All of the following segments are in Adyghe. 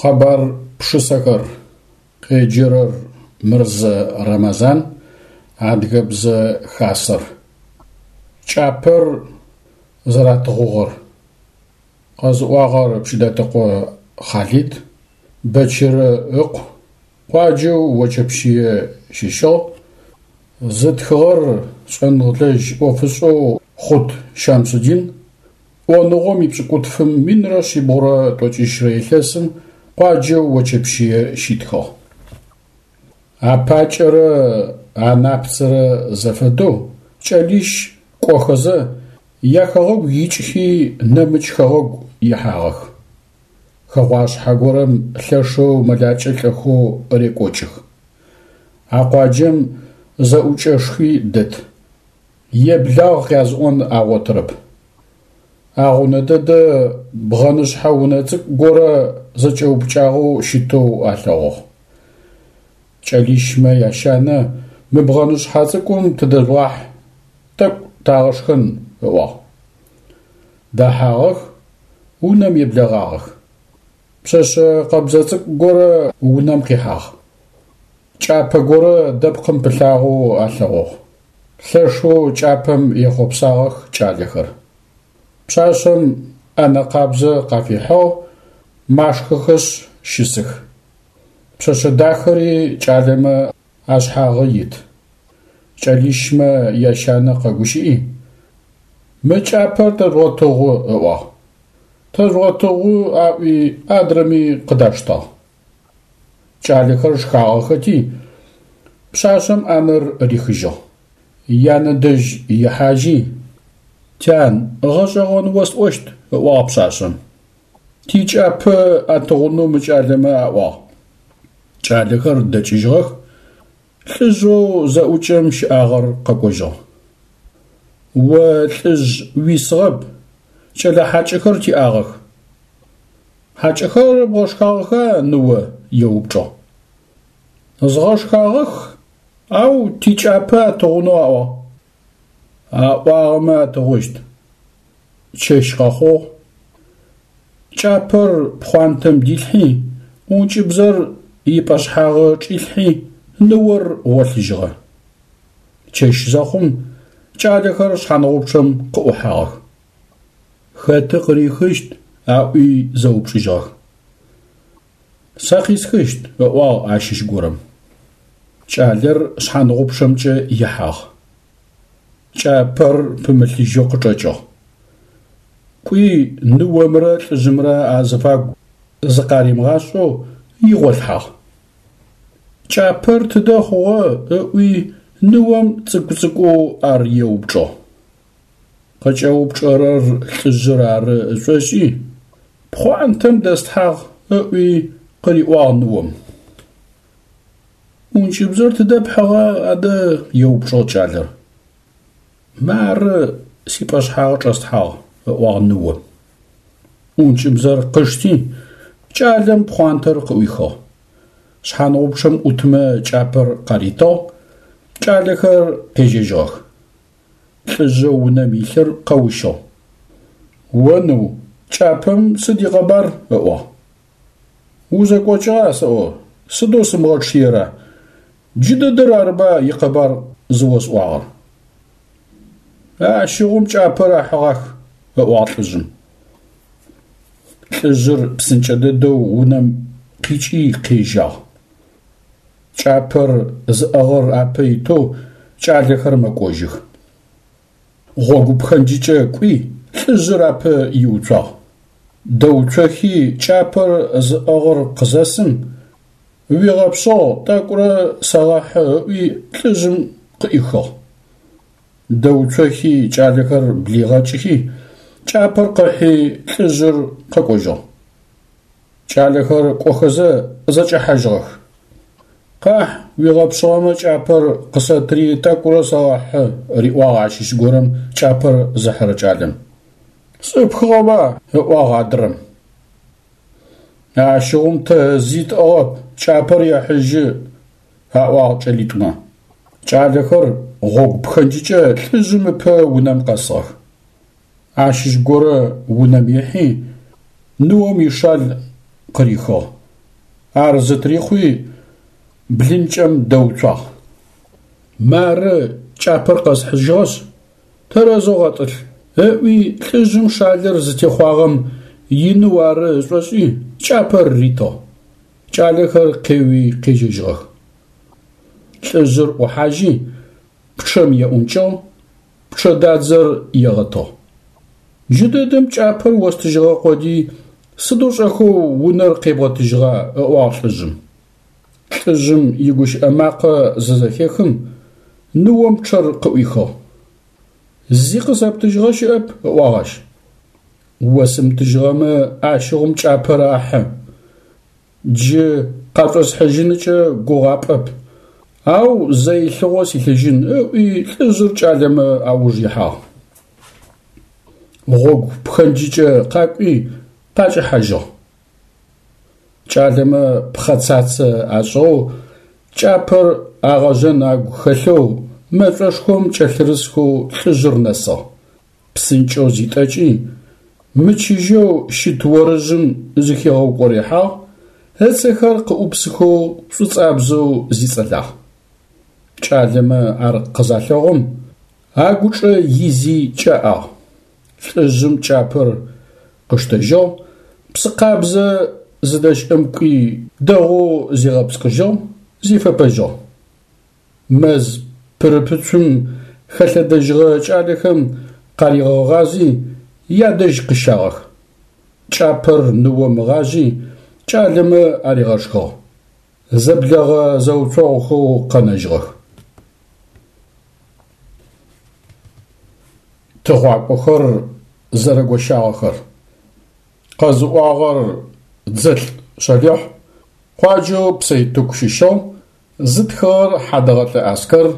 Къэбар пшысэхэр. Къеджэрэр Мырзэ Рэмэзан, Адыгэбзэ Хасэр. Кӏапэр зэратыгъугъэр. Къэзыӏуагъэр Пщыдатэкъо Хъалид, Бэчырэ ыкъу, къуаджэу Очэпщые щыщыгъ. Зытхыгъэр шӏэныгъэлэжь ӏофышӏэу Хъут Щамсудин. ӏоныгъом ипшӏыкӏутфым 1190 илъэсым къуаджэу Очэпщые щитхыгъ. Апакӏэрэ анапцэрэ зэфэдэу кӏэлищ кӏохэзэ яхэгъэгу икӏхи нэмыкӏ хэгъэгу ихьагъэх. Хэгъуашъхьэ горэм лъэшэу мэлакӏэ лӏэхэу рекӏокӏых. А къуаджэм зэӏукӏэшхуи дэт. Еблагъ къязыӏон агъотырэп. Агъунэ дэдэ бгъэнышъхьэ унэ цӏыкӏу горэ зэкӏэупкӏагъэу щытэу алъэгъугъ. Кӏэлищмэ ящанэ мы бгъэнышъхьэ цӏыкӏум тыдэжъугъахь, тӏэкӏу тагъэшхэн, ыӏуагъ. Дэхьагъэх, унэм еблэгъагъэх. Пшъэшъэ къэбзэ цӏыкӏу горэ унэм къихьагъ. Кӏапэ горэ дэпкъым пылъагъэу алъэгъугъ. Лъэшэу кӏапэм ехъопсагъэх кӏалэхэр. Пшъашъэм ӏэнэ къабзэ къафихьыгъ, машхэхэшъ щысых. Пшъэшъэ дахэри кӏалэмэ ашъхьагъы ит. Кӏэлищмэ ящанэ къэгущыӏи, Мы кӏапэр тэжъугъэтыгъу, ыӏуагъ. Тэжъугъэтыгъу аӏуи адрэми къыдаштагъ. Кӏалэхэр шхагъэхэти, пшъашъэм ӏанэр рихыжьыгъ. Янэ дэжь ихьажьи, Тян, гъэшӏэгъон осӏощт, ыӏуагъ пшъашъэм. Тикӏапэ атыгъунэу мы кӏалэмэ аӏуагъ. Кӏалэхэр дэкӏыжьыгъэх, лӏыжъэу зэӏукӏэм щыӏагъэр къэкӏожьыгъ. О лӏыжъ уисыгъэп, кӏэлэ хьакӏэхэр тиӏагъэх. Хьакӏэхэр бгъэшхагъэха, ныо? еупчӏыгъ. Згъэшхагъэх, ау тикӏапэ атыгъунэу аӏуагъ. Аӏуагъэмэ атыгъущт. Чэщ къэхъугъ. Кӏапэр пхъуантэм дилъхьи, ӏункӏыбзэр ипӏэшъхьагъы чӏилъхьи, ныор гъолъыжьыгъэ. Чэщ зэхъум, кӏалэхэр шъхьаныгъупчъэм къыӏухьагъэх. Хэты къырихыщт? аӏуи зэупчӏыжьыгъэх. Сэ къисхыщт, ыӏуагъ ащыщ горэм. Кӏалэр шъхьаныгъупчъэмкӏэ ихьагъ. Кӏапэр пымылъыжьэу къычӏэкӏыгъ. Кӏуи ныомрэ лӏыжъымрэ азыфагу зыкъаримыгъашӏэу игъолъхьагъ. Кӏапэр тыдэ хъугъэ? ыӏуи ныом цӏыкӏу-цӏыкӏоу ар еупчӏыгъ. Къыкӏэупчӏэрэр лӏыжъыр ары ышӏошӏи, пхъуантэм дэслъхьагъ ыӏуи къыриӏуагъ ныом. ӏункӏыбзэр тыдэ пхьыгъа адэ? еупчӏыгъ кӏалэр. Мары, сипӏэшъхьагъы чӏэслъхьагъ, ыӏуагъ ныом. ӏункӏыбзэр къышти, кӏалэм пхъуантэр къыӏуихыгъ. Шъхьаныгъупчъэм ӏутмэ кӏапэр къаритыгъ, кӏалэхэр къежьэжьыгъэх. Лӏыжъэу унэм илъыр къэущыгъ. О ныу, кӏапэм сыд икъэбар? ыӏуагъ. Узэкӏокӏыгъа сэӏо, сыдэу сымыгъэчъыера? Джыдэдэр арыба икъэбар зыосӏуагъэр. Ащыгъум кӏапэр ахьыгъах, ыӏуагъ лӏыжъым. Лӏыжъыр псынкӏэ дэдэу унэм къикӏи къежьагъ. Кӏапэр зыӏыгъыр апэ итэу кӏалэхэр мэкӏожьых. Гъогу пхэнджыкӏэ кӏуи, лӏыжъыр апэ иуцуагъ. Дэуцохи, кӏапэр зыӏыгъыр къызэсым, уигъэпшъыгъ, тӏэкӏурэ сэгъэхьы ыӏуи лӏыжъым къыӏихыгъ. Дэуцохи, кӏалэхэр блигъэкӏхи, кӏапэр къыхьи, лӏыжъыр къэкӏожьыгъ. Кӏалэхэр кӏохэзэ зэкӏэхьажьыгъэх. Къахь, уигъэпшъыгъэмэ кӏапэр къысэтри тӏэкӏурэ сэгъэхьы, риӏуагъ ащыщ горэм кӏапэр зыхьырэ кӏалэм. Сӏыпхыгъэба, ыӏуагъ адрэм. Ащыгъум тэ зи тӏыгъэп, кӏапэр ехьыжьы, аӏуагъ кӏэлитӏумэ. Кӏалэхэр гъогу пхэнджыкӏэ лӏыжъым ыпэ унэм къэсыгъэх. Ащыщ горэ унэм ихьи, ныом ишал къырихыгъ. Ар зытырихъуи, блынкӏэм дэуцуагъ. Мары кӏапэр къэсхьыжьыгъэшъ, тэрэзэу гъэтӏылъ, ыӏуи лӏыжъым шалыр зытехъуагъэм иныу ары ышӏошӏи, кӏапэр ритыгъ. Кӏалэхэр къеуи къежьэжьыгъэх. Лӏыжъыр ӏухьажьи, пчъэм еӏункӏыгъ, пчъэдадзэр егъэтыгъ. Джыдэдэм кӏапэр остыжьыгъэ къодый, сыдэу шӏэхэу унэр къебгъэтыжьыгъа? ыӏуагъ лӏыжъым. Лӏыжъым игущыӏэ макъэ зызэхехым, ныом пчъэр къыӏуихыгъ. Зи къысэптыжьыгъэ щыӏэп, ыӏуагъ ащ. Осымытыжьыгъэмэ, ащыгъум кӏапэр ахьы. Джы къашӏосхьыжьыныкӏэ гугъапӏэп, ау зэ илъыгъо силъыжьын, ыӏуи лӏыжъыр кӏалэмэ ауж ихьагъ. Гъогу пхэнджыкӏэ къакӏуи къакӏэхьажьыгъ. Кӏалэмэ пхъэцацэ ашӏыгъэу, кӏапэр агъэжъэн агу хэлъэу мэшӏошхом кӏэлъырысхэу лӏыжъыр нэсыгъ. Псынкӏэу зитӏэкӏи, мычыжьэу щыт орыжъым зыхигъэукӏорыхьагъ, ыцэхэр къыӏупсыхэу шӏуцӏабзэу зицӏэлагъ. Кӏалэмэ ар къызалъэгъум, агучӏэ изи кӏэӏагъ. Лӏыжъым кӏапэр къыштэжьыгъ, псы къабзэ зыдэщыӏэм кӏуи дэгъоу зигъэпскӏыжьыгъ, зифэпэжьыгъ. Мэз пырыпыцум хэлъэдэжьыгъэ кӏалэхэм къаригъэгъази, ядэжь къыщагъэх. Кӏапэр ныом ыгъажъи, кӏалэмэ аригъэшхыгъ. Зэблэгъэ зэуцогъухэу къэнэжьыгъэх. Тыгъуакӏохэр зэрэгощагъэхэр. Къэзыӏуагъэр Дзэлӏ Шъалихь, къуаджэу Псэйтыку щыщыгъ, зытхыгъэр Хьадэгъэлӏэ Аскэр,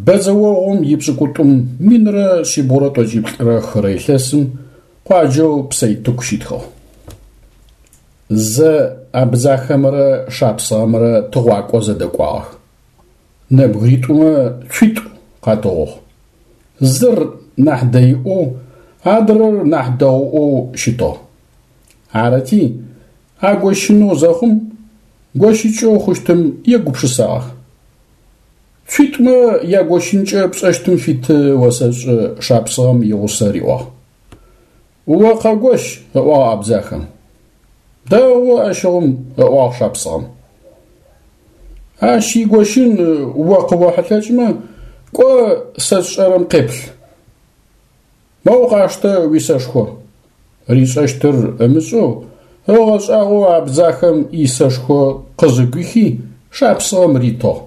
бэдзэогъум ипшӏыкӏутӏум 1343 илъэсым къуаджэу Псэйтыку щитхыгъ. Зэ абдзахэмрэ шапсыгъэмрэ тыгъуакӏо зэдэкӏуагъэх. Нэбгыритӏумэ цуитӏу къатыгъугъ. Зыр нахь дэиӏоу, адрэр нахь дэгъуӏоу щытыгъ. Арыти, агощынэу зэхъум, гощыкӏэу хъущтым егупшысагъэх. Цуитӏумэ ягощынкӏэ пшӏэщтым фиты осэшӏы шапсыгъэм игъусэ риӏуагъ. О къэгощ, ыӏуагъ абдзахэм. Дэгъу ащыгъум, ыӏуагъ шапсыгъэм. Ащ игощын о къыохьылъэкӏмэ, кӏо сэ сшӏэрэм къеплъ. Моу къаштэ уисэшхо. Ришӏэщтыр ымышӏэу, ыгъэшӏагъоу абдзахэм исэшхо къызыгуихи, шапсыгъэм ритыгъ.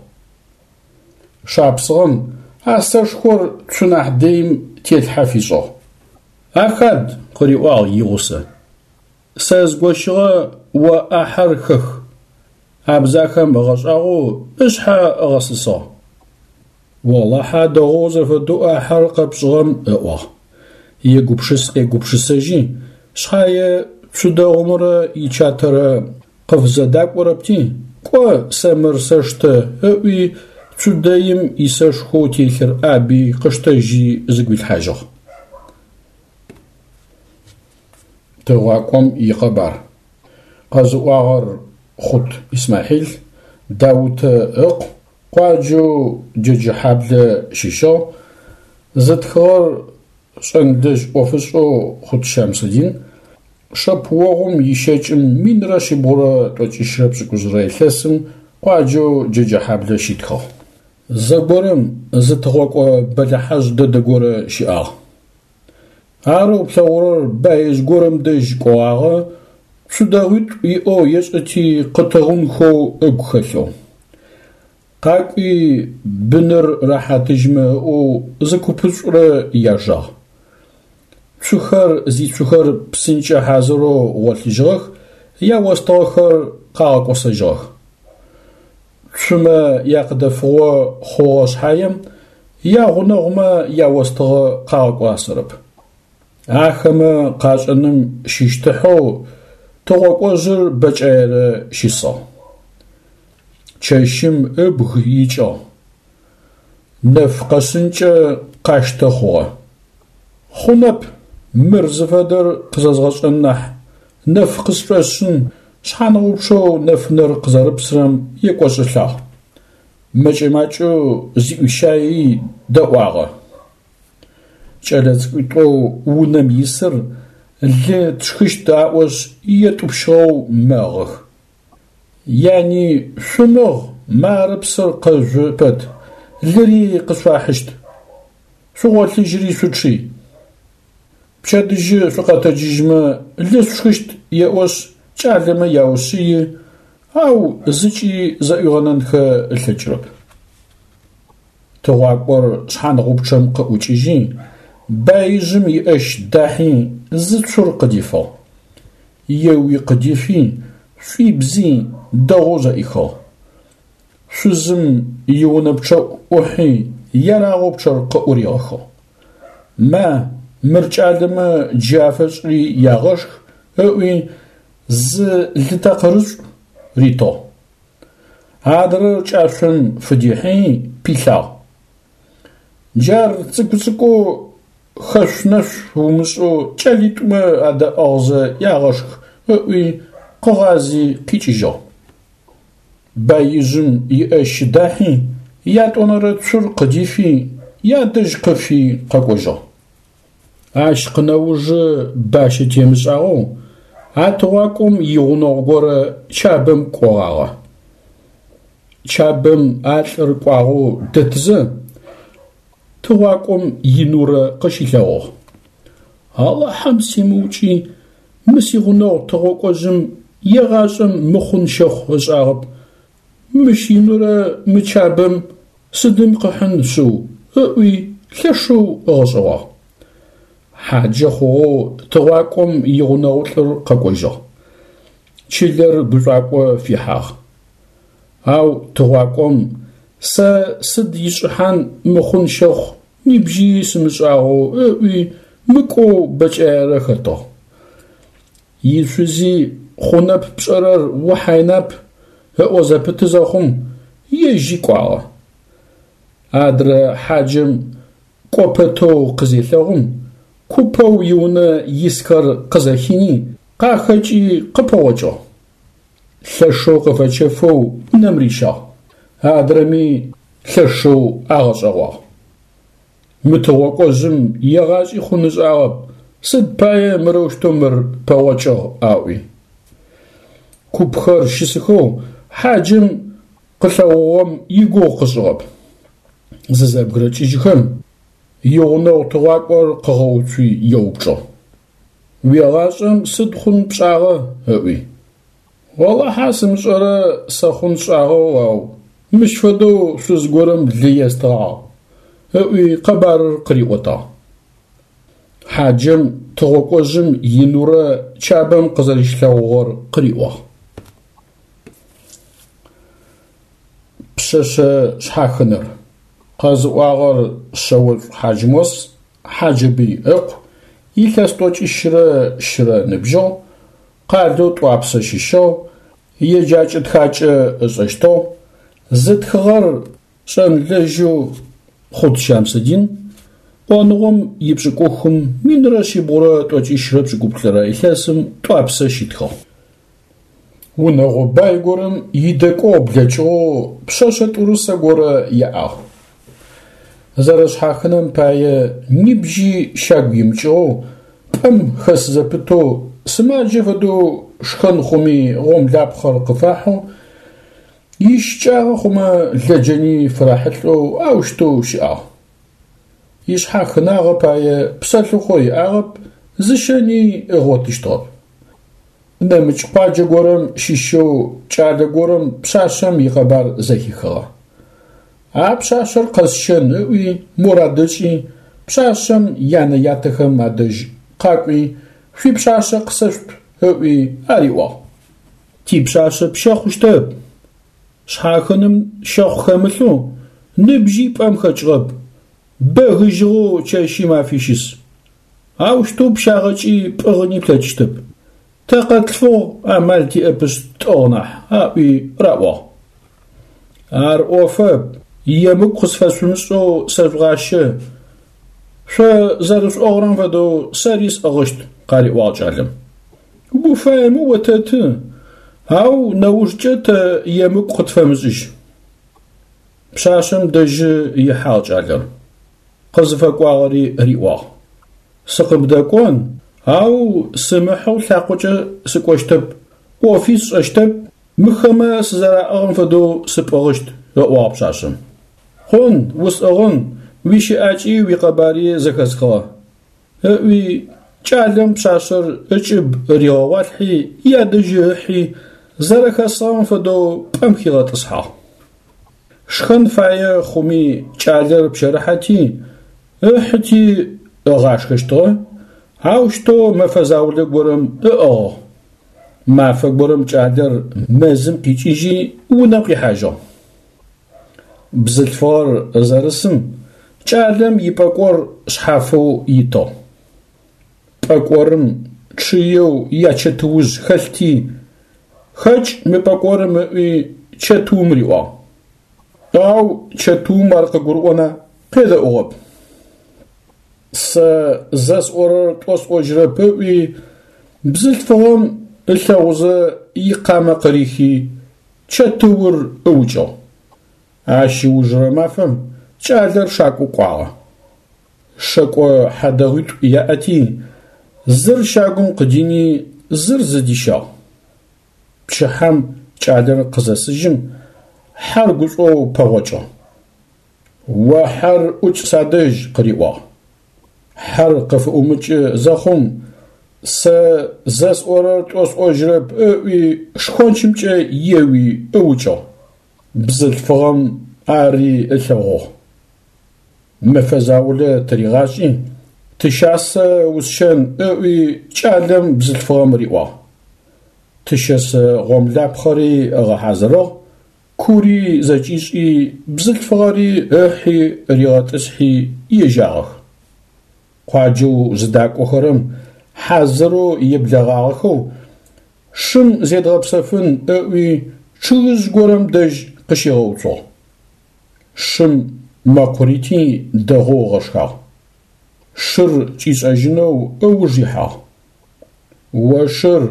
Шапсыгъэм а сэшхор цу нахь дэим телъхьэ фишӏыгъ. Ахад, къыриӏуагъ игъусэ. Сэ згощыгъэ о ӏахьэр хэх. Абдзахэм ыгъэшӏагъоу ышъхьэ ыгъэсысыгъ. Олахьэ дэгъоу зэфэдэу ӏахьэр къэпшӏыгъэм, ыӏуагъ. Егупшыс-къегупшысэжьи, шъхьае цу дэгъумрэ ичатэрэ къыфзэдакӏорэпти, кӏо, сэ мыр сэштэ, ыӏуи, цу дэим исэшхоу телъыр ӏаби къыштэжьи зыгуилъхьажьыгъ. Тыгъуакӏом икъэбар. Къэзыӏуагъэр Хъут Исмахьил, Даутэ ыкъу, къуаджэу Джэджэхьаблэ щыщыгъ, зытхыгъэр шӏэнлэжь ӏофышӏэу Хъут Щамсудин, шэпыогъум ищэкӏым 1378 илъэсым къуаджэу Джэджэхьаблэ щитхыгъ. Зэгорэм зы тыгъокӏо бэлыхьэжъ дэдэ горэ щыӏагъ. Арэу плъэгъурэр баижъ горэм дэжь кӏогъагъэ, цу дэгъуитӏу иӏэу ешӏэти къытыгъунхэу ыгу хэлъэу. Къакӏуи быныр рэхьатыжьмэ ыӏоу зы купышӏурэ яжагъ. Цухэр зицухэр псынкӏэ хьазырэу гъолъыжьыгъэх, яостыгъэхэр къагъэкӏосэжьыгъэх. Цумэ якъыдэфыгъо хъугъэ шъхьаем, ягъунэгъумэ яостыгъэ къагъэкӏуасэрэп. Ахэмэ къашӏэным щыщтыхьэу тыгъокӏожъыр бэкӏаерэ щысыгъ. Чэщым ыбг икӏыгъ. Нэф къэшъынкӏэ къащтэ хъугъэ. Хъунэп, мыр зыфэдэр къызэзгъэшӏэн нахь, нэф къысшӏошъын. шъхьаныгъупчъэу нэфынэр къызэрыпсырэм екӏошӏылӏагъ. Мэкӏэ-макӏэу зиӏуищаий дэӏуагъэ. Кӏэлэцӏыкӏуитӏоу унэм исыр лы тшхыщт аӏошъ етӏупщыгъэу мэгъых. Яни шъумыгъ, мары псыр къэжъу пэт, лыри къышъуфахьыщт. Шъугъолъыжьри шъучъый. Пчэдыжьы шъукъэтэджыжьмэ лы шъушхыщт еӏошъ кӏалэмэ яушъыи, ау зыкӏи зэӏуигъэнэнхэ ылъэкӏырэп. Тыгъуакӏор шъхьаныгъупчъэм къыӏукӏыжьи, баижъым иӏэщ дахьи зы цур къыдифыгъ. Еуи къыдифи, шӏуибзи, дэгъоу зэӏихыгъ. Шъузым иунэ пчъэӏу ӏухьи, ерагъэу пчъэр къыӏуригъэхыгъ. Ма, мыр кӏалэмэ джы афэшӏри ягъэшх, ыӏуи, зы лы такъырышӏу ритыгъ. Адрэр кӏашъом фыдихьи, пилъагъ. Джар цӏыкӏу-цӏыкӏоу хэшъу-нэшъу умышӏэу кӏэлитӏумэ адэӏыгъзэ ягъэшх, ыӏуи, къыгъази къикӏыжьыгъ. Баижъым иӏэщ дахьи, ятӏонэрэ цур къыдифи, ядэжь къыфи къэкӏожьыгъ. Ащ къынэужы бащэ темышӏагъэу а тыгъуакӏом игъунэгъу горэ Чабэм кӏогъагъэ. Чабэм а лӏыр кӏуагъэу дэтызэ, тыгъуакӏом инурэ къыщилъэгъугъ. Алахьэм симыукӏи, мы сигъунэгъу тыгъокӏожъым егъашӏэм мыхъун щэхъу ышӏагъэп, мыщ инурэ мы Чабэм сыдым къыхьын шъыу, ыӏуи лъэшэу ыгъэшӏэгъуагъ. Хьаджэ хъугъэу тыгъуакӏом игъунэгъулӏыр къэкӏожьыгъ. Чылэр гушӏуакӏо фихьагъ. Ау тыгъуакӏом сэ сыд ишӏыхьан мыхъун щэхъу нибжьи сымышӏагъэу ыӏуи мыкӏоу бэкӏаерэ хэтыгъ. Ишъузи хъунэп пшӏэрэр ухьайнап ыӏо зэпыты зэхъум, ежьи кӏуагъэ. Адрэ хьаджэм кӏо пэтэу къызелъэгъум, купэу иунэ исхэр къызэхини, къахэкӏи къыпэгъокӏыгъ. Лъэшэу къыфэчэфэу унэм рищагъ. Адрэми лъэшэу агъэшӏэгъуагъ. Мы тыгъокӏожъым егъашӏи хъун ышӏагъэп, сыд пае мырэущтэу мыр пэгъокӏыгъ аӏуи. Купхэр щысыхэу хьаджэм къылъэгъугъэм игугъу къышӏыгъэп. Зызэбгырэкӏыжьыхэм, игъунэгъу тыгъуакӏор къыгъэуцуи еупчӏыгъ. Уегъашӏэм сыд хъун пшӏагъэ? ыӏуи. Олахьэ сымышӏэрэ сэ хъун сшӏагъэу, ау мыщ фэдэу шъуз горэм лы естыгъагъ, ыӏуи къэбарыр къыриӏотагъ. Хьаджэм тыгъокӏожъым инурэ Чабэм къызэрищилъэгъугъэр къыриӏуагъ. Пшъэшъэ шъхьахынэр. Къэзыӏуагъэр Шъэошӏу Хьаджмос, Хьаджэбый ыкъу, илъэс тӏокӏищрэ щырэ ыныбжьыгъ, къалэу Тӏуапсэ щыщыгъ, еджакӏэ-тхакӏэ ышӏэщтыгъ, зытхыгъэр шӏэнлэжьэу Хъут Щамсэдин, ӏоныгъом ипшӏыкӏухым 1178 илъэсым Тӏуапсэ щитхыгъ. Унэгъо бай горэм идэкӏогъу блэкӏыгъэу пшъэшъэ тӏурысэ горэ яӏагъ. Зэрэшъхьахынэм пае нибжьи щагу имыкӏыгъэу, пӏэм хэс зэпытэу, сымаджэ фэдэу шхэн хъуми гъомлапхъэр къыфахьэу, ищыкӏагъэ хъумэ лэджэни фырахьылӏэу аущтэу щыӏагъ. Ишъхьахынагъэ пае псэлъыхъо иӏагъэп, зыщэни ыгъотыщтыгъэп. Нэмыкӏ къуаджэ горэм щыщэу кӏалэ горэм пшъашъэм икъэбар зэхихыгъэ. А пшъашъэр къэсщэн ыӏуи мурад ышӏи, пшъашъэм янэ-ятэхэм адэжь къакӏуи, шъуипшъашъэ къысэшъут ыӏуи ариӏуагъ. Типшъашъэ пщэ хъущтэп. Шъхьахыным щэхъу хэмылъэу ныбжьи пӏэм хэкӏыгъэп, бэгыжьыгъэу чэщи мафи щыс. Аущтэу пщагъэкӏи пӏыгъыни плъэкӏыщтэп. Тэ къэтлъфыгъ, амал тиӏэпышъ тӏыгъ нахь, аӏуи раӏуагъ. Ар ӏофэп, емыкӏу къысфэшъумышӏэу сэжъугъащэ, шъо зэрышъуӏыгъырэм фэдэу сэри сӏыгъыщт, къариӏуагъ кӏалэм. Уфаемэ отэты. Ау нэужкӏэ тэ емыкӏу къытфэмышӏыжь. Пшъашъэм дэжьы ихьагъ кӏалэр. Къызыфэкӏуагъэри риӏуагъ. Сыкъыбдэкӏон, ау сымыхьэу лъакъокӏэ сыкӏощтэп, ӏофи сшӏэщтэп, мыхэмэ сызэраӏыгъым фэдэу сыпӏыгъыщт, ыӏуагъ пшъашъэм. Хъун, усӏыгъын, уищыӏакӏи уикъэбари зэхэсхыгъэ, ыӏуи, кӏалэм пшъашъэр ыкӏыб ригъэгъуалъхьи, ядэжьы ыхьи, зэрэхэсыгъэм фэдэу пӏэм хигъэтӏысхьагъ. Шхэн фае хъуми кӏалэр пщэрыхьэти, ыхьыти ыгъашхэщтыгъэ, аущтэу мэфэ заулэ горэм ыӏыгъыгъ. Мафэ горэм кӏалэр мэзым къикӏыжьи унэм къихьажьыгъ. Бзылъфыгъэр зэрысым кӏалэм ипӏэкӏор шъхьафэу итыгъ. Пӏэкӏорым чъыеу ячэтыужъ хэлъти, хэкӏ мы пӏэкӏорым ыӏуи чэтыум риӏуагъ. Ау чэтыум ар къыгурыӏона, къедэӏугъэп. Сэ зэ сӏорэр тӏо сӏожьырэп ыӏуи, бзылъфыгъэм ылъэгъузэ икъамэ къырихи, чэтыур ыукӏыгъ. Ащ ыужырэ мафэм кӏалэр шакӏо кӏуагъэ. Шэкӏо хьадэгъуитӏу яӏэти, зыр щагум къыдини, зыр зыдищагъ. Пчыхьэм кӏалэр къызэсыжьым, хьэр гушӏоу пэгъокӏыгъ. О хьэр ӏукӏ садэжь, къыриӏуагъ. Хьэр къыфыӏумыкӏы зэхъум, сэ зэ сӏорэр тӏо сӏожьырэп ыӏуи, шхончымкӏэ еуи ыукӏыгъ. Бзылъфыгъэм ари ылъэгъугъ. Мэфэ заулэ тыригъашӏи, тыщасэ усщэн ыӏуи кӏалэм бзылъфыгъэм риӏуагъ. Тыщэсэ гъомлапхъэри ыгъэхьазырыгъ, кури зэкӏишӏи, бзылъфыгъэри ыхьи ригъэтӏысхьи ежьагъэх. Къуаджэу зыдакӏохэрэм хьазырэу еблэгъагъэхэу, шым зедгъэпсэфын ыӏуи чъыгыжъ горэм дэжь къыщигъэуцугъ. Шым мэкъу рити дэгъоу ыгъэшхагъ. Шыр кӏишӏэжьынэу ыуж ихьагъ. О шыр,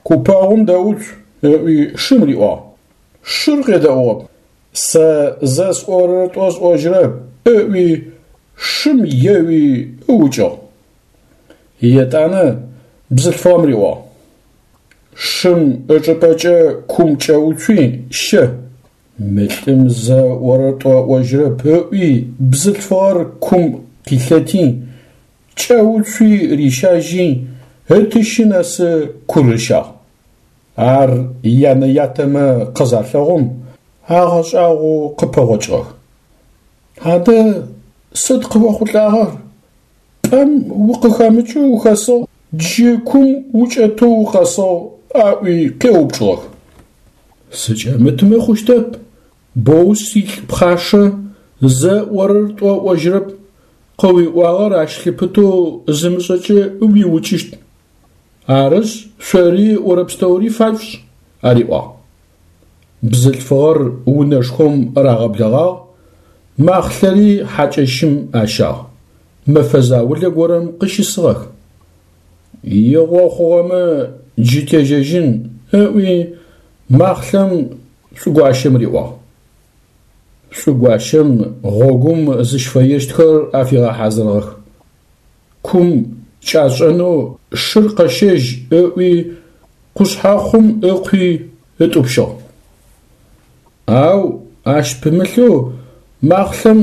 купэгъум дэуцу, ыӏуи шым риӏуагъ. Шыр къедэӏугъэп. Сэ зэ сӏорэр тӏо сӏожьырэп, ыӏуи шым еуи ыукӏыгъ. Етӏанэ бзылъфыгъэм риӏуагъ. Шым ычӏыпӏэкӏэ кум кӏэуцуи, щэ. Мы лӏым зэ ыӏорэр тӏо ыӏожьырэп, ыӏуи бзылъфыгъэр кум къилъэти, кӏэуцуи рищажьи, ытыщы нэсы кур ыщагъ. Ар янэ-ятэмэ къызалъэгъум, агъэшӏагъоу къыпэгъокӏыгъэх. Адэ сыд къыохъулӏагъэр? Пӏэм укъыхэмыкӏэу ухэсыгъ, джы кум укӏэтэу укъэсыгъ, аӏуи къеупчӏыгъэх. Сыкӏэмытымэ хъущтэп, боу силӏ пхъашэ, зэ ыӏорэр тӏо ыӏожьырэп, къыуиӏуагъэр ащ лъыпытэу зымышӏэкӏэ уиукӏыщт. Арышъ, шъори ыӏорэ пстэури фашъушӏ, ариӏуагъ. Бзылъфыгъэр унэшхом рагъэблэгъагъ, махълъэри хьакӏэщым ащагъ, мэфэ заулэ горэм къыщысыгъэх. Игъо хъугъэмэ джы тежьэжьын, ыӏуи, махълъэм шӏугуащэм риӏуагъ. Шӏугуащэм гъогум зыщыфэещтхэр афигъэхьазырыгъэх. Кум кӏашӏэнэу шыр къэщэжь ыӏуи, къушъхьэхъум ыкъуи ытӏупщыгъ. Ау ащ пымылъэу махълъэм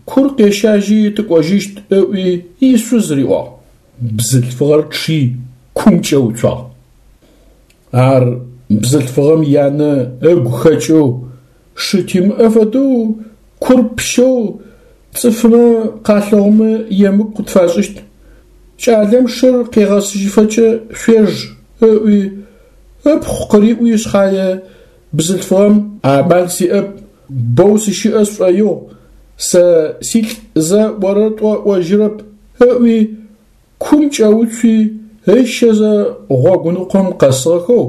кур къещажьи тыкӏожьыщт ыӏуи ишъуз риӏуагъ. Бзылъфыгъэр чъи кум кӏэуцуагъ. Ар бзылъфыгъэм янэ ыгу хэкӏэу, шы тимыӏэ фэдэу кур пщэу цӏыфмэ къалъэгъумэ емыкӏу къытфашӏыщт. Кӏалэм шыр къегъэсыжьыфэкӏэ шъуеж, ыӏуи, ыпхъу къыриӏуи шъхьае, бзылъфыгъэм амал сиӏэп, боу сыщыӏэ сшӏоигъу, сэ силӏ зэ ыӏорэр тӏо ыӏожьырэп, ыӏуи, кум кӏэуцуи, ыщэзэ гъогуныкъом къэсыгъэхэу,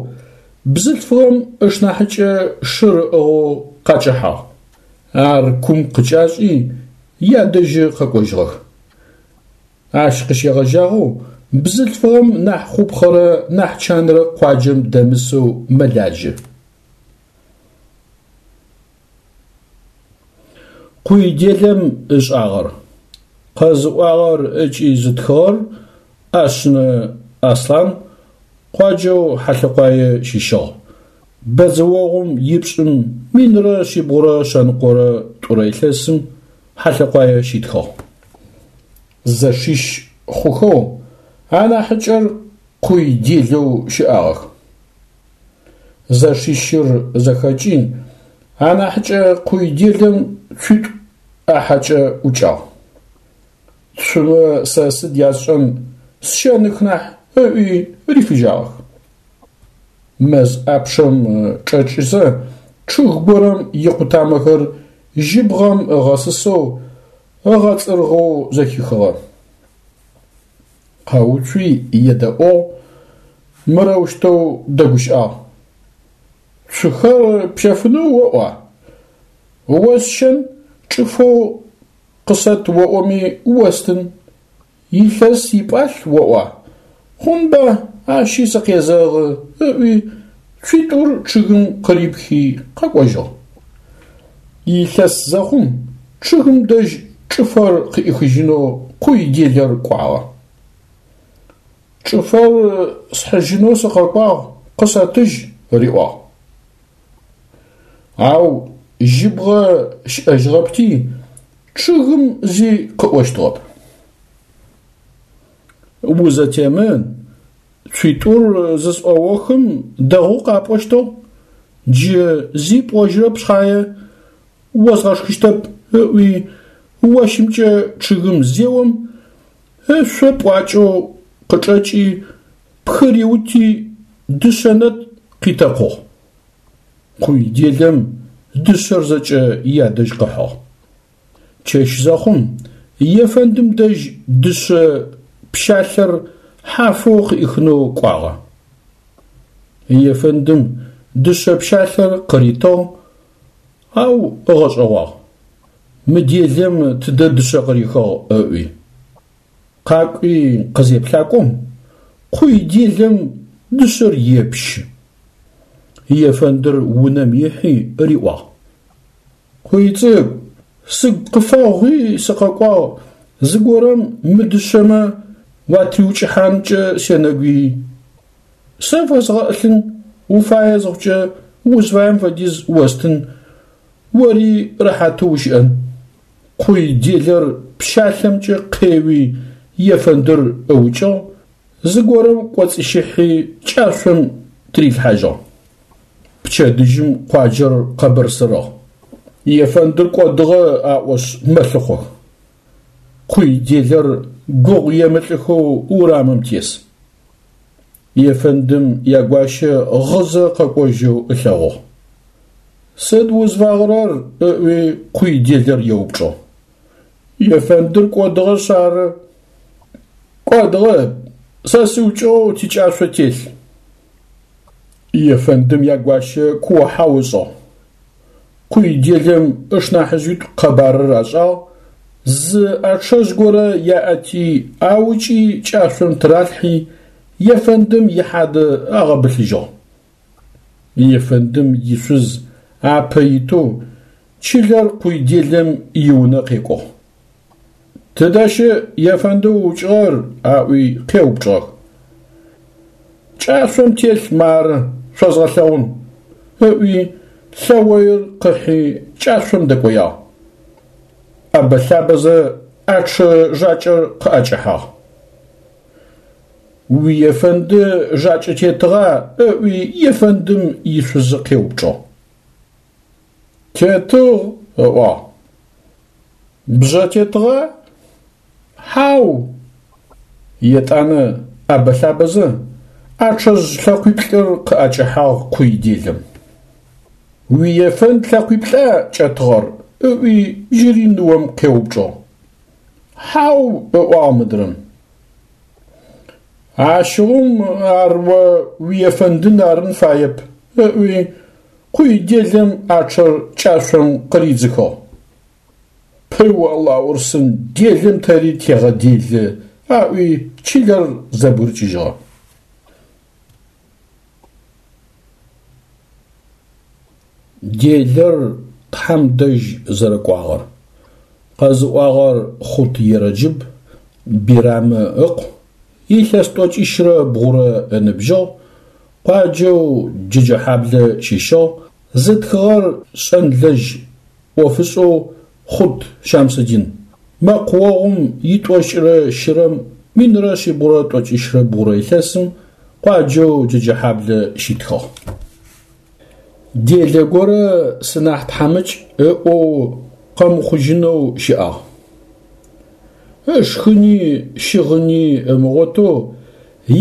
бзылъфыгъэм ышнахьыкӏэ шыр ыӏыгъэу къакӏэхьагъ. Ар кум къыкӏашӏи, ядэжьы къэкӏожьыгъэх. Ащ къыщегъэжьагъэу Бзылъфыгъэм нахь хъупхъэрэ нахь чанрэ къуаджэм дэмысэу мэлажьэ. Къуй делэм ышӏагъэр. Къэзыӏуагъэр ыкӏи зытхыгъэр ӏэшъынэ Аслъан, къуаджэу Хьалъэкъуае щыщыгъ. Бэдзэогъум ипшӏым 1122 илъэсым Хьалъэкъуае щитхыгъ. Зэшищ хъухэу анахьыкӏэр къуй делэу щыӏагъэх. Зэшищыр зэхэкӏи, анахьыкӏэ къуй делэм цуитӏу ӏахьэкӏэ ӏукӏагъ. Цумэ сэ сыд ясшӏэн, сщэных нахь, ыӏуи рифыжьагъэх. Мэз ӏапчъэм чӏэкӏызэ, чъыг горэм икъутамэхэр жьыбгъэм ыгъэсысэу, ыгъэцӏыргъэу зэхихыгъэ. Къэуцуи едэӏугъ, мырэущтэу дэгущыӏагъ: Цухэр пщэфынэу оӏуа? Осщэн чӏыфэу къысэт оӏоми остын. Илъэс ипӏалъ оӏуа? Хъунба, ащи сыкъезэгъы, ыӏуи, цуитӏур чъыгым къырипхи къэкӏожьыгъ. Илъэс зэхъум, чъыгым дэжь чӏыфэр къыӏихыжьынэу къуй делэр кӏуагъэ. Чӏыфэр схьыжьынэу сыкъэкӏуагъ, къысэтыжь, риӏуагъ. Ау жьыбгъэ щыӏэжьыгъэпти, чъыгым зи къыӏощтыгъэп. Узэтемын, цуитӏур зысӏоохым дэгъоу къапӏощтыгъ, джы зи пӏожьырэп шъхьае, озгъэшхыщтэп, ыӏуи, ощымкӏэ чъыгым зеом, ышъо пӏуакӏэу къычӏэкӏи, пхыриути, дышъэ нэтӏ къитэкъугъ. Къуй делэм дышъэр зэкӏэ ядэжь къыхьыгъ. Чэщ зэхъум, ефэндым дэжь дышъэ пщалъэр хьафэу къыӏихынэу кӏуагъэ. Ефэндым дышъэ пщалъэр къыритыгъ, ау ыгъэшӏэгъуагъ: Мы делэм тыдэ дышъэ къырихыгъ? ыӏуи. Къакӏуи къызеплъакӏом, къуй делэм дышъэр епщы. Ефэндыр унэм ихьи риӏуагъ: Къуйцӏыкӏу, сыгу къыфэгъуи сыкъэкӏуагъ, зыгорэм мы дышъэмэ уатриукӏыхьанкӏэ сенэгуий. Сэ фэзгъэӏылъын, уфае зыхъукӏэ узфаем фэдиз остын, ори рэхьатэу ущыӏэн. Къуй делэр пщалъэмкӏэ къеуи ефэндыр ыукӏыгъ, зыгорэм кӏоцӏищыхьи кӏашъом тырилъхьажьыгъ. Пчэдыжьым къуаджэр къэбырсырыгъ. Ефэндыр кӏодыгъэ аӏошъ мэлъыхъох. Къуй делэр гугъу емылӏыхэу урамым тес. Ефэндым ягуащэ гъызэ къэкӏожьэу ылъэгъугъ. Сыд узфагъырэр? ыӏуи къуй делэр еупчӏыгъ. Ефэндыр кӏодыгъэшъ ары. Кӏодыгъэп, сэ сыукӏыгъэу тикӏашъо телъ. Ефэндым ягуащэ куо-хьау ышӏыгъ. Къуй делэм ышнахьыжъитӏу къэбарыр ашӏагъ, зы ӏэчъэжъ горэ яӏэти, аукӏи кӏашъом тыралъхьи, ефэндым ихьадэ агъэбылъыжьыгъ. Ефэндым ишъуз апэ итэу чылэр къуй делэм иунэ къекӏугъ. Тыдэ щыӏ ефэндэу ыукӏыгъэр? аӏуи къеупчӏыгъэх. Кӏашъом телъ мары, шъозгъэлъэгъун, ыӏуи лъэоир къыхьи кӏашъом дэкӏоягъ. ӏэбэ-лъабэзэ ӏэчъэ жакӏэр къыӏэкӏэхьагъ. Уиефэнды жакӏэ тетыгъа? ыӏуи ефэндым ишъузы къеупчӏыгъ. Тетыгъ, ыӏуагъ. Бжъэ тетыгъа? Хьау! Етӏанэ ӏэбэ-лъабэзэ ӏэчъэжъ лъэкъуиплӏыр къыӏэкӏэхьагъ къуй делэм. Уиефэнд лъэкъуиплӏа кӏэтыгъэр? ыӏуи джыри ныом къеупчӏыгъ. Хьау, ыӏуагъ мыдрэм. Ащыгъум ар о уиефэндын арын фаеп, ыӏуи къуй делэм ӏачъэр кӏашъом къыридзыхыгъ. Пыу Алаурсын, делэм тэри тегъэделы, Аӏуи чылэр зэбгырыкӏыжьыгъэ. Делэр Тхьэм дэжь зэрэкӏуагъэр. Къэзыӏуагъэр Хъут Ерэджыб, Бирамэ ыкъу, илъэс тӏокӏищрэ бгъурэ ыныбжьыгъ, къуаджэу Джэджэхьаблэ щыщыгъ, зытхыгъэр шӏэнлэжь ӏофышӏэу Хъут Щамсэдин. Мэкъуогъум итӏокӏырэ щырэм минрэ шъибгъурэ тӏокӏищрэ бгъурэ илъэсым къуаджэу Джэджэхьаблэ щитхыгъ. Делэ горэ сынахь тхьамыкӏ ыӏоу къэмыхъужьынэу щыӏагъ. Ышхыни щыгъыни ымыгъотэу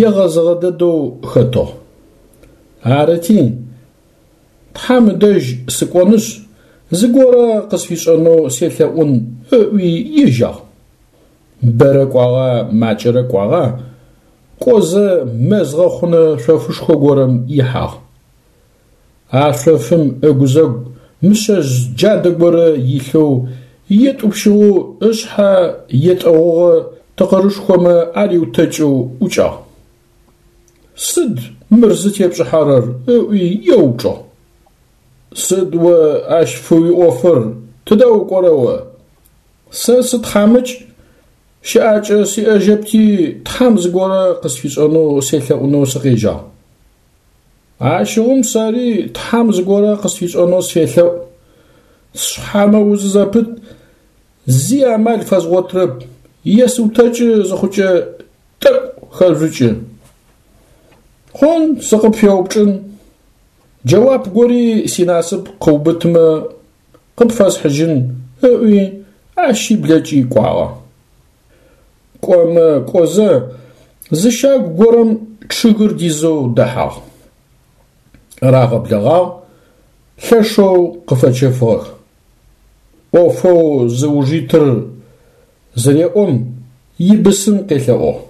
егъэзыгъэ дэдэу хэтыгъ. Арыти, Тхьэм ыдэжь сыкӏонышъ, зыгорэ къысфишӏэнэу селъэӏун ыӏуи ежьагъ. Бэрэ кӏуагъа, макӏэрэ кӏуагъа, кӏозэ мэз гъэхъунэ шъофышхо горэм ихьагъ. А шъофым ыгузэгу мышъэжъ джадэ горэ илъэу етӏупщыгъэу ышъхьэ етӏэгъугъэ тыкъырышхомэ ариутэкӏэу ӏукӏагъ. Сыд мыр зытепшӏыхьэрэр? ыӏуи еупчӏыгъ. Сыд о ащ фыуиӏофыр, тыдэ укӏорэ о? Сэ сытхьамыкӏ, щыӏакӏэ сиӏэжьэпти, Тхьэм зыгорэ къысфишӏэнэу селъэӏунэу сыкъежьагъ. Ащыгъум сэри Тхьэм зыгорэ къысфишӏэнэу сфелъэӏу. Сшъхьэ мэузы зэпыт, зи амал фэзгъотырэп, есыутэкӏы зыхъукӏэ тӏэкӏу хэжъукӏы. Хъун, сыкъыпфеупчӏын. Джэуап гори синасып къыубытымэ, къыпфэсхьыжьын, ыӏуи, ащи блэкӏи кӏуагъэ. Кӏомэ кӏозэ, зы щагу горэм чъыгыр дизэу дэхьагъ. Рагъэблэгъагъ, лъэшэу къыфэчэфыгъэх. ӏофэу зыуж итыр зыреӏом, ибысым къелъэӏугъ.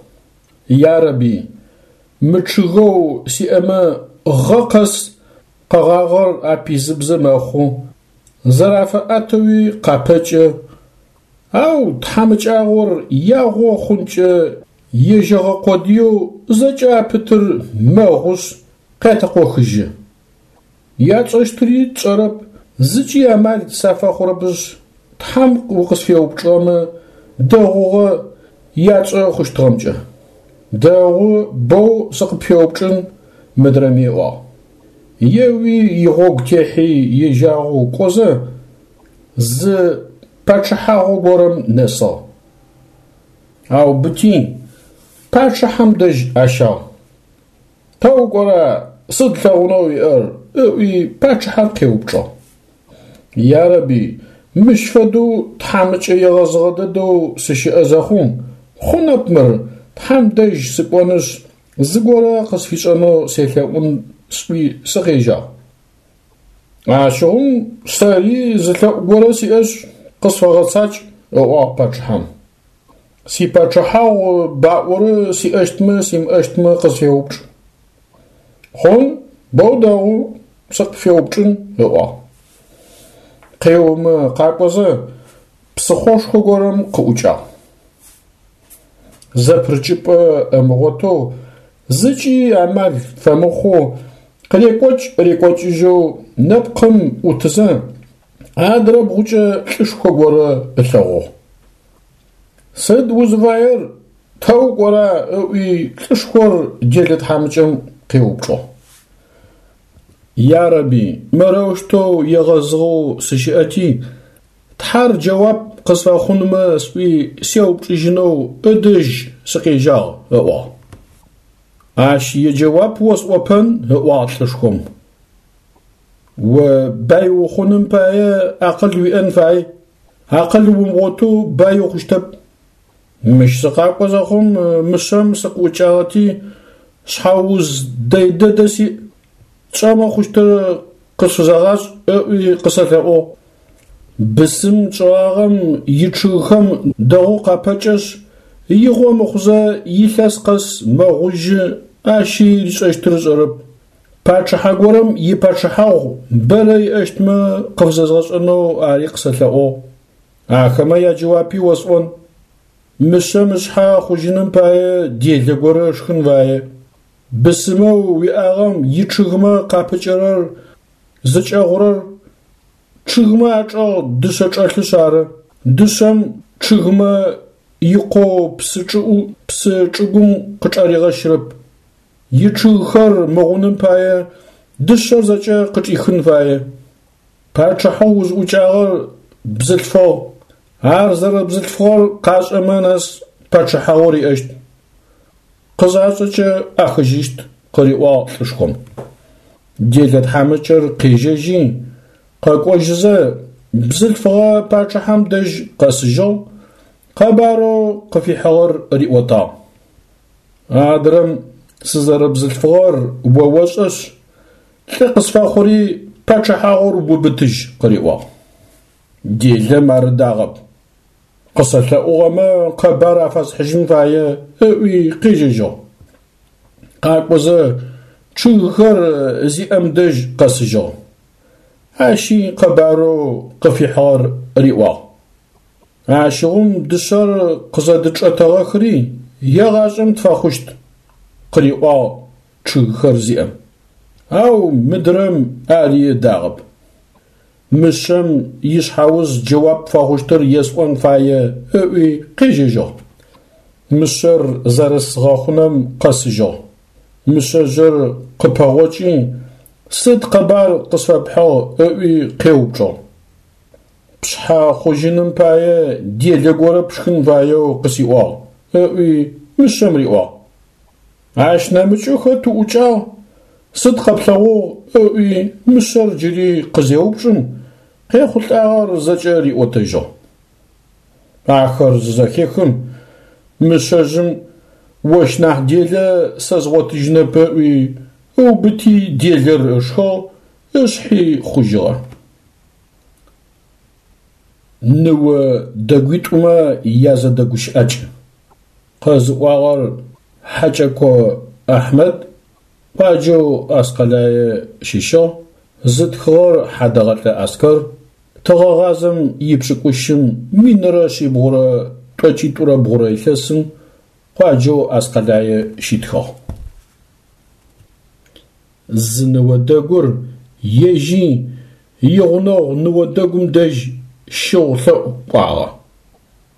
Ярэби, мы чъыгэу сиӏэмэ гъэ къэс къэгъагъэр апизыбзэ мэхъу, зэрафэӏэтэуи къапэкӏэ, ау тхьамыкӏагъор ягъо хъункӏэ ежьэгъэ къодыеу зэкӏэ апытыр мэгъушъ, къятэкъохыжьы. Ятшӏэщтыри тшӏэрэп, зыкӏи амал сафэхъурэпышъ, Тхьэм укъысфеупчӏыгъэмэ, дэгъугъэ ятшӏэ хъущтыгъэмкӏэ. Дэгъу, боу сыкъыпфеупчӏын, мыдрэми ыӏуагъ. Еуи игъогу техьи ежьагъэу кӏозэ, зы пачъыхьагъу горэм нэсыгъ. Аубыти, пачъыхьэм дэжь ащагъ. Тэ укӏора, сыд лъэгъунэу уиӏэр? ыӏуи пачъыхьэр къеупчӏыгъ. Ярэби, мыщ фэдэу тхьамыкӏэ егъэзыгъэ дэдэу сыщыӏэ зэхъум, хъунэп мыр, Тхьэм дэжь сыкӏонышъ, зыгорэ къысфишӏэнэу селъэӏун сӏуи сыкъежьагъ. Ащыгъум сэри зы лъэӏу горэ сиӏэшъ, къысфэгъэцакӏ, ыӏуагъ пачъыхьэм. Сипачъыхьагъу баӏорэ сиӏэщтмэ симыӏэщтмэ къысфеупчӏ. Хъун, боу дэгъу, сыкъыпфеупчӏын, ыӏуагъ. Къеомэ къакӏозэ, псыхъошхо горэм къыӏукӏагъ. Зэпырыкӏыпӏэ ымыгъотэу, зыкӏи амал фэмыхъоу, къырекӏокӏ-рекӏокӏыжьэу нэпкъым ӏутызэ, адрэ бгъукӏэ лӏышхо горэ ылъэгъугъ. Сыд узыфаер, тэ укӏора? ыӏуи лӏышхор делэ тхьамыкӏэм къеупчӏыгъ. Ярэби, мырэущтэу егъэзыгъэу сыщыӏэти, Тхьэр джэуап къысфэхъунмэ сӏуи сеупчӏыжьынэу ыдэжь сыкъежьагъ, ыӏуагъ. Ащ иджэуап осӏопэн, ыӏуагъ лӏышхом. О бай ухъуным пае акъыл уиӏэн фай, акъыл умыгъотэу бай ухъущтэп. Мыщ сыкъакӏо зэхъум мышъэм сыкъыӏукӏагъэти, шъхьэуз дэй дэдэ сиӏ, тшӏэмэ хъущтыр къысфызэгъашӏ, ыӏуи къысэлъэӏугъ. Бысым тшӏыгъагъэм ичъыгхэм дэгъоу къапэкӏэшъ, игъо мыхъузэ илъэс къэс мэгъужьы, ащи ришӏэщтыр ышӏэрэп. Пачъыхьэ горэм ипачъыхьагъу бэрэ иӏэщтмэ къыфызэзгъэшӏэнэу ари къысэлъэӏугъ. Ахэмэ яджэуапи осӏон. Мышъэм ышъхьэ хъужьыным пае делэ горэ ышхын фае. Бысымэу уиӏагъэм ичъыгмэ къапыкӏэрэр зыкӏэгъурэр чъыгмэ ачӏэгъ дышъэ чӏэлъышъ ары. Дышъэм чъыгмэ икъоу псы чӏыӏу псы чӏыгум къычӏаригъэщырэп. Ичъыгхэр мыгъуным пае дышъэр зэкӏэ къычӏихын фае. Пачъыхьэу узӏукӏагъэр бзылъфыгъ, ар зэрэбзылъфыгъэр къашӏэмэ нэс пачъыхьагъур иӏэщт. Къызашӏэкӏэ ӏахыжьыщт, къыриӏуагъ лӏышхом. Делэ тхьамыкӏэр къежьэжьи, къэкӏожьызэ, бзылъфыгъэ пачъыхьэм дэжь къэсыжьыгъ, къэбарэу къыфихьыгъэр риӏотагъ. Адрэм сызэрэбзылъфыгъэр о ошӏэшъ, лӏы къысфэхъури пачъыхьагъур убытыжь, къыриӏуагъ. Делэм ар ыдагъэп. Къысэлъэӏугъэмэ къэбар афэсхьыжьын фае, ыӏуи къежьэжьыгъ. Къакӏозэ чъыгхэр зиӏэм дэжь къэсыжьыгъ. Ащи къэбарэу къыфихьыгъэр риӏуагъ. Ащыгъум дышъэр къызэдычӏэтэгъэхри егъашӏэм тфэхъущт, къыриӏуагъ чъыгхэр зиӏэм. Ау мыдрэм ари ыдагъэп. Мышъэм ишъхьэуз джэуап фэхъущтыр есӏон фае ыӏуи къежьэжьыгъ. Мышъэр зэрыс гъэхъунэм къэсыжьыгъ. Мышъэжъыр къыпэгъокӏи, сыд къэбар къысфэпхьыгъ ыӏуи къеупчӏыгъ. Пшъхьэ хъужьыным пае делэ горэ пшхын фаеу къысиӏуагъ, ыӏуи мышъэм риӏуагъ. Ащ нэмыкӏэу хэт уӏукӏагъ, сыд къэплъэгъугъ? ыӏуи мышъэр джыри къызеупчӏым, къехъулӏагъэр зэкӏэ риӏотэжьыгъ. Ахэр зызэхехым, мышъэжъым ощ нахь делэ сэ згъотыжьынэп ыӏуи, ыубыти делэр ышхыгъ, ышъхьи хъужьыгъэ. Ныо дэгуитӏумэ язэдэгущыӏакӏ. Къэзыӏуагъэр Хьакӏэко Ахьмэд, къуаджэу Аскъэлае щыщыгъ, зытхыгъэр Хьадэгъэлӏэ Аскэр, тыгъэгъазэм ипшӏыкӏущым 1393 илъэсым къуаджэу Аскъэлае щитхыгъ. Зы ныо дэгур ежьи игъунэгъу ныо дэгум дэжь щыгъу лъэӏу кӏуагъэ.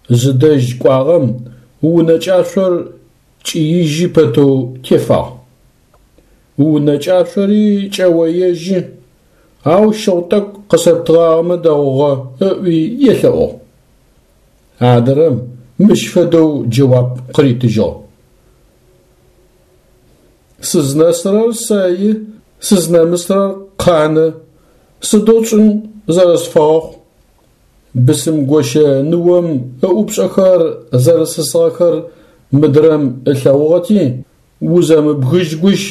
Зыдэжь кӏуагъэм унэ кӏашъор кӏиижьы пэтэу тефагъ. Унэ кӏашъори кӏэоежьы, ау щыгъу тӏэкӏу къысэптыгъагъэмэ дэгъугъэ, ыӏуи елъэӏугъ. Адрэм мыщ фэдэу джэуап къыритыжьыгъ. Сызнэсырэр сэи, сызнэмысырэр къанэ, сыдэу тшӏын зэрэсфэгъэхъу. Бысымгощэ ныом ыӏупшӏэхэр зэрэсысыгъэхэр мыдрэм ылъэгъугъэти, узэмыбгыжь гущ,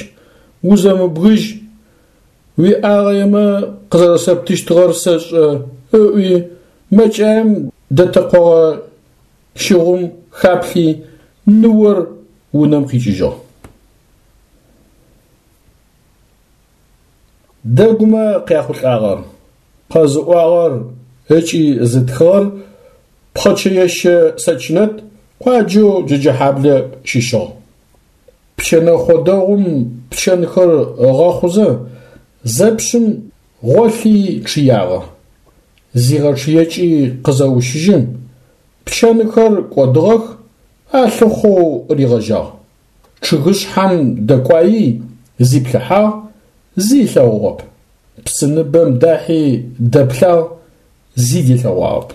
узэмыбгыжь, уиӏагъэемэ къызэрэсэптыщтыгъэр сэшӏэ, ыӏуи, мэкӏаем дэтэкъогъэ щыгъум хаплъи, ныор унэм къикӏыжьыгъ. Дэгумэ къяхъулӏагъэр, къэзыӏуагъэр ыкӏи зытхыгъэр Пхъэчэещэ Сэчнэт къуаджэу Джэджэхьаблэ щыщыгъ. Пчэнэхъо дэгъум пчэнхэр ыгъэхъузэ, зэпщым гъолъи чъыягъэ. Зигъэчъыекӏи къызэущыжьым, пчэнхэр кӏодыгъэх, алъыхъоу ригъэжьагъ. Чъыгышъхьэм дэкӏуаий, зиплъыхьагъ, зи ылъэгъугъэп. Псыныбэм дахьи дэплъагъ, зи дилъэгъуагъэп.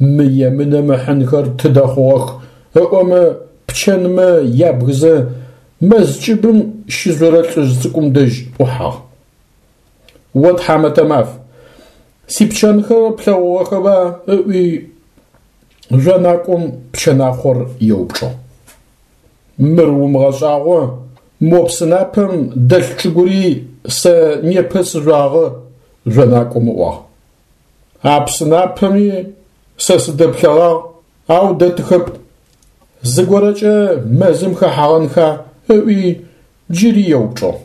Мы емынэм ыхьынхэр тыдэ хъугъэх ыӏомэ пчэнмэ ябгызэ мэз кӏыбым щыжъорэ лӏыжъ цӏыкӏум дэжь ӏухьагъ. О тхьамэтэ маф, сипчэнхэр плъэгъугъэхэба ыӏуи жъонакӏом пчэнахъор еупчӏыгъ. Мыр умыгъэшӏагъо, мо псынапэм дэлъ чӏыгури сэ непэ сыжъуагъэ, жъонакӏом ыӏуагъ. А псынапэми сэ сыдэплъэгъагъ, ау дэтыхэп. Зыгорэкӏэ мэзым хэхьагъэнха ыӏуи джыри еупчӏыгъ.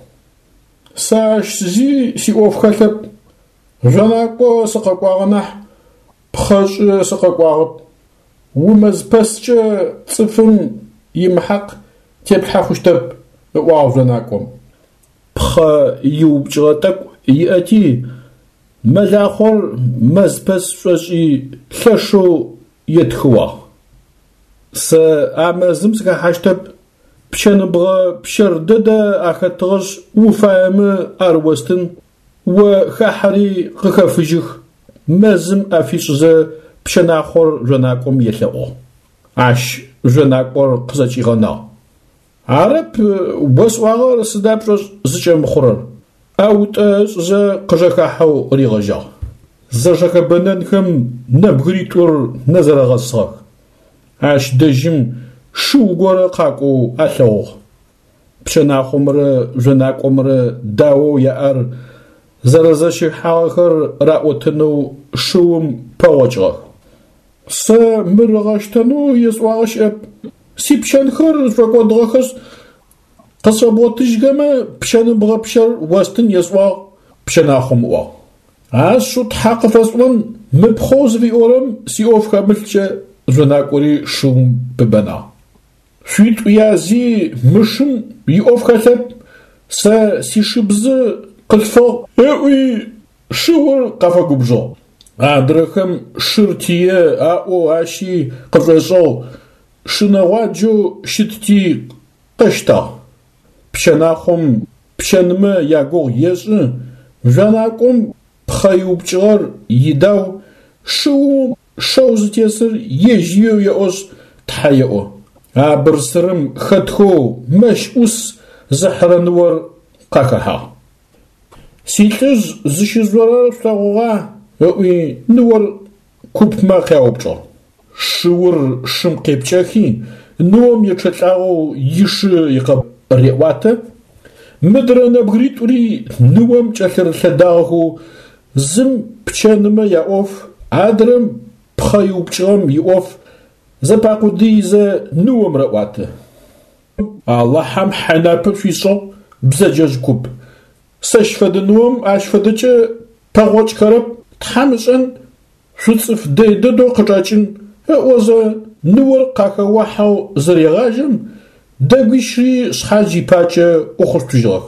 Сэ ащ зи сиӏоф хэлъэп, жъонакӏо сыкъэкӏуагъэ нахь, пхъэшӏы сыкъэкӏуагъэп. Умэзпэскӏэ цӏыфым имыхьакъ теплъхьэ хъущтэп, ыӏуагъ жъонакӏом. Пхъэ иупкӏыгъэ тӏэкӏу иӏэти, мэлахъор мэзпэс шӏошӏи лъэшэу етхыуагъ. Сэ а мэзым сыхэхьащтэп, пчэныбгъэ пщэр дэдэ ахэтыгъэшъ, уфаемэ ар остын, о хахьэри къыхэфыжьых, мэзым ӏэ фишӏызэ пчэнахъор жъонакӏом елъэӏугъ. Ащ жъонакӏор къызэкӏигъэнагъ. Арэп осӏуагъэр сыда пшӏошъ зыкӏэмыхъурэр? ӏэутӏэ ышӏызэ къыжэхахьэу ригъэжьагъ. Зэжэхэбэнэнхэм нэбгыритӏур нэзэрэгъэсыгъэх. Ащ дэжьым шыу горэ къакӏоу алъэгъугъ. Пчэнахъомрэ жъонакӏомрэ даоу яӏэр зэрэзэщихьагъэхэр раӏотэнэу шыум пэгъокӏыгъэх. Сэ мыр ыгъэщтэнэу есӏуагъэ щыӏэп. Сипчэнхэр шӏокӏодыгъэхэшъ, къысфэбгъотыжьхэмэ пчэныбгъэ пщэр остын есӏуагъ, пчэнахъом ыӏуагъ. Ашъыу тхьэ къыфэсӏон мы пхъэу зыфиӏорэм сиӏоф хэмылъкӏэ жъонакӏори шыум пыбэнагъ. Шъуитӏу язи мы шым иӏоф хэлъэп, сэ сишыбзы къылъфыгъ, ыӏуи шыур къафэгубжыгъ. Адрэхэм шыр тие аӏоу ащи къышӏошӏыгъ, шынэгъуаджэу щытти къэщтагъ. Пчэнахъом пчэнмэ ягугъу ешӏы, жъонакӏом пхъэ иупкӏыгъэр идау, шыум шэу зытесыр ежь иеу еӏошъ, тхьэ еӏо. А бырсырым хэтхэу мэщ ӏус зыхьырэ ныор къахэхьагъ. Силӏыжъ зыщыжъорэр шъулъэгъугъа? ыӏуи ныор купмэ къяупчӏыгъ. Шыур шым къепкӏэхи, ныом ечъэлӏагъэу ишы икъэбар реӏуатэ. Мыдрэ нэбгыритӏури ныом кӏэлъырылъэдагъэхэу зым пчэнымэ яӏоф, адрэм пхъэ иупкӏыгъэм иӏоф зэпакъудыизэ ныом раӏуатэ. Алахьэм хьайнапэ шъуишӏыгъ, бзэджэжъ куп. Сэщ фэдэ ныом ащ фэдэкӏэ пэгъокӏхэрэп, Тхьэм ышӏэн, шъуцӏыф дэй дэдэу къычӏэкӏын, ыӏозэ ныор къахэохьэу зырегъажьэм, дэгуищри шъхьадж ипакӏэ ӏухъушъутыжьыгъэх.